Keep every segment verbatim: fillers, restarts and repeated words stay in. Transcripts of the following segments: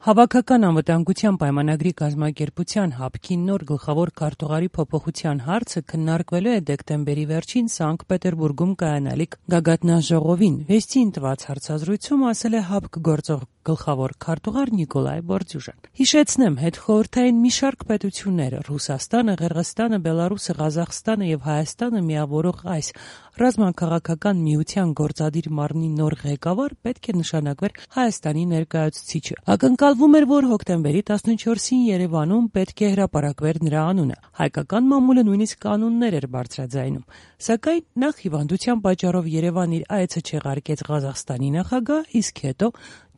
Հավաքական անվտանգության պայմանագրի կազմակերպության ՀԱՊԿ-ի նոր գլխավոր քարտուղարի փոփոխության հարցը քննարկվելու է դեկտեմբերի վերջին Սանկտ Պետերբուրգում կայանալիք գագաթնաժողովին։ Վեստին տված հարցազրույցում ասել է ՀԱՊԿ գործող գլխավոր քարտուղար Նիկոլայ Բորդյուժան։ Հիշեցնեմ, հետխորհրդային մի շարք պետություններ՝ Ռուսաստանը, Ղырղызստանը, Բելարուսը, Ղազախստանը եւ Հայաստանը միավորող այս ռազմաքաղաքական միության գործադիր մարմնի նոր ղեկավար պետք է նշանակվեր Հայաստանի ներկայացուցիչը։ Ակնկալվում էր, որ հոկտեմբերի տասնչորսին Երևանում պետք է հրապարակվեր նրա անունը։ Հայկական մամուլը նույնիսկ կանոններ էր բարձրաձայնում։ Սակայն նախ հիվանդության պատճառով Երևան իր այցը չեղարկեց Ղազախստանի նախագահ, իսկ հետո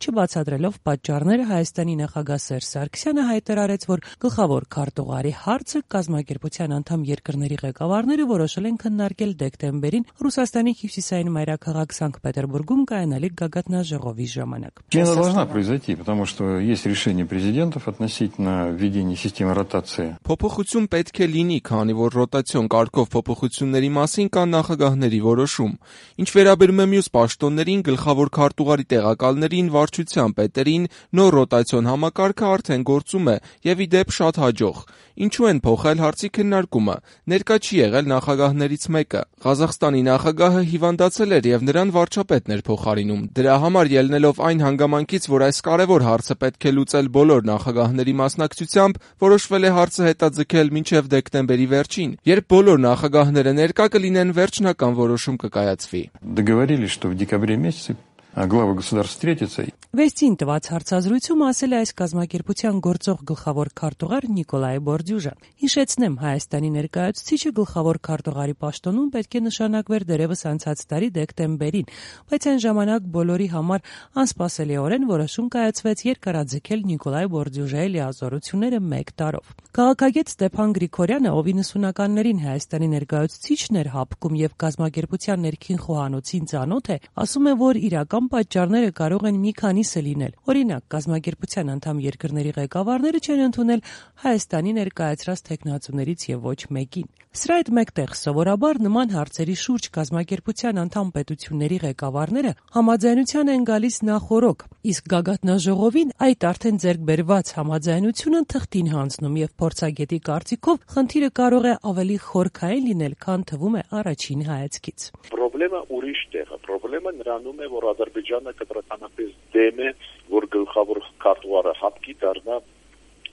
չբացատրելով պատճառները Հայաստանի նախագահ Սերժ Սարգսյանը հայտարարեց, որ գլխավոր քարտուղարի հարցը կազմակերպության անդամ երկրների ղեկավարները որոշել են քննարկել դեկտեմբերին Ռուսաստանի հյուսիսային մայրաքաղաք Սանկտ Պետերբուրգում կայանալիք գագաթնաժողովի ժամանակ։ Смена должна произойти, потому что есть решение президентов относительно введения системы ротации. Փոփոխություն պետք է լինի, քանի որ ռոտացիոն կարգով փոփոխությունների մասին կան նախագահների որոշում։ Ինչ վերաբերում է մյուս պաշտոններին, գլխավոր քարտուղարի տեղակալներին, վարչության պետերին, նոր ռոտացիոն համակարգը արդեն գործում է եւ ի դեպ շատ հաջող։ Ինչու են փոխել հարցի քննարկումը։ Ներկա չի եղել նախագահներից մեկը։ Ղազախստանի նախագահը հիվանդացել էր եւ նրան վարչապետն էր փոխարինում։ Դրա համար ելնելով այն հանգամանքից, որ այս կարևոր հարցը պետք է լուծել բոլոր նախագահների մասնակցությամբ, որոշվել է հարցը հետաձգել մինչև դեկտեմբերի վերջին, երբ բոլոր նախագահները ներկա կլինեն, վերջնական որոշում կկայացվի։ Договорились, что в декабре месяце главы государств встретятся. Վեստին տված հարցազրույցում ասել է այս կազմակերպության գործող գլխավոր քարտուղար Նիկոլայ Բորդյուժան։ Հիշեցնեմ, Հայաստանի ներկայացուցիչը գլխավոր քարտուղարի պաշտոնում պետք է նշանակվեր դերևս անցած տարի դեկտեմբերին, բայց այն ժամանակ բոլորի համար անսպասելիորեն որոշում կայացվեց երկարաձգել Նիկոլայ Բորդյուժայի լիազորությունները մեկ տարով։ Քաղաքագետ Ստեփան Գրիգորյանը, ով իննսունականներին Հայաստանի ներկայացուցիչն էր ՀԱՊԿ-ում եւ կազմակերպության ներքին խոհանոցին ծանոթ է, ասում է, որ իրական պատճառները կարող են մի քանիսը լինել։ Օրինակ, կազմակերպության անդամ երկրների ղեկավարները չեն ընդունել Հայաստանի ներկայացրած թեկնածուներից եւ ոչ մեկին։ Սրա հետ մեկտեղ սովորաբար նման հարցերի շուրջ կազմակերպության անդամ պետությունների ղեկավարները համաձայնության են գալիս նախօրոք, իսկ գագաթնաժողովին այդ արդեն ձեռք բերված համաձայնությունը թղթին հանձնում եւ փորձագետի կարծիքով խնդիրը կարող է ավելի խորքային լինել, քան թվում է առաջին հայացքից։ Պրոբլեմը ուրիշ տեղ է, պրոբլեմը նրանում է, որ Ադրբեջանը կտրականապես դեմ է, որ գլխավոր քարտուղարը ՀԱՊԿ-ի դառնա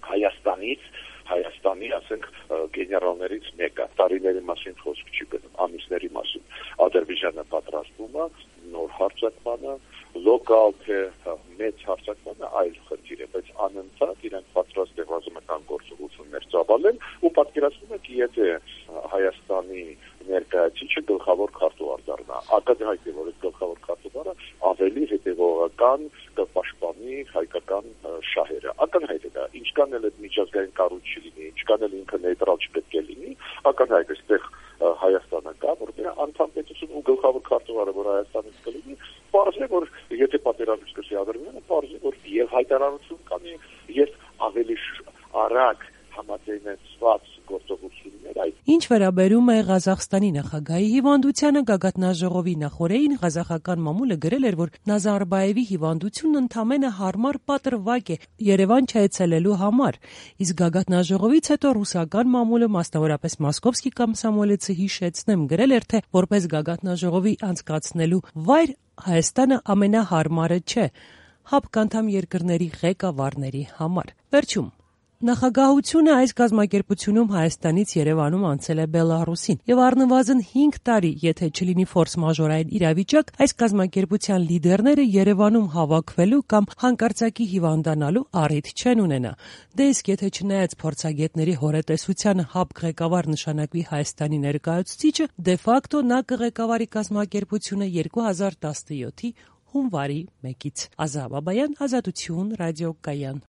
Հայաստանից, Հայաստանի, ասենք, գեներալներից մեկը։ Տարիների մասին խոսք չի գնում, ամիսների մասին։ Ադրբեջանը պատրաստվում է նոր հարձակմանը, լոկալ թե մեծ հարձակմանը այլ խնդիր է, բայց անընդհատ իրենք պատրաստ են ռազմական գործողություններ ծավալել ու պատկերացնում եք, եթե Հայաստանի ներկայացուցիչը գլխավոր քարտուղար դառնա, ակնհայտ է, որ այդ գլխավոր քարտուղարը ավելի հետևողական կպաշտպանի հայկական շահերը։ Ակնհայտ է դա, ինչքան էլ այդ միջազգային կառույց չլինի, ինչքան էլ ինքը նեյտրալ չպետք է լինի, ակնհայտ է, այստեղ Հայաստանը կա, որ դրա անդամ պետություն ու գլխավոր քարտուղարը, որ Հայաստանից կլինի, պարզ է, որ եթե պատերազմ սկսի Ադրբեջանը, պարզ է, որ եւ հայտարարություն կանի, եւ ավելի արագ համաձայնեցված գործողություններ այդ։ Ինչ վերաբերում է Ղազախստանի նախագահի հիվանդությանը, գագաթնաժողովի նախօրեին ղազախական մամուլը գրել էր, որ Նազարբաևի հիվանդությունն ընդամենը հարմար պատրվակ է Երևան չայցելելու համար, իսկ գագաթնաժողովից հետո ռուսական մամուլը, մասնավորապես Մոսկովսկի կոմսոմոլեցը, հիշեցնեմ, գրել էր, թե որպես գագաթնաժողովի անցկացնելու վայր Հայաստանը ամենահարմարը չէ ՀԱՊԿ անդամ երկրների ղեկավարների համար։ Վերջում Նախագահությունը այս կազմակերպությունում Հայաստանից Երևանում անցել է Բելարուսին եւ առնվազն հինգ տարի, եթե չլինի ֆորս մաժորային իրավիճակ, այս կազմակերպության լիդերները Երևանում հավաքվելու կամ հանկարծակի հիվանդանալու առիթ չեն ունենա։ Դե իսկ եթե չնայած փորձագետների հորետեսությանը ՀԱՊԿ ղեկավար նշանակվի Հայաստանի ներկայացուցիչը, դե ֆակտո նա կղեկավարի կազմակերպությունը երկու հազար տասնյոթի հունվարի մեկից։ Ազա Բաբայան, Ազատություն, Ռադիո Կայան։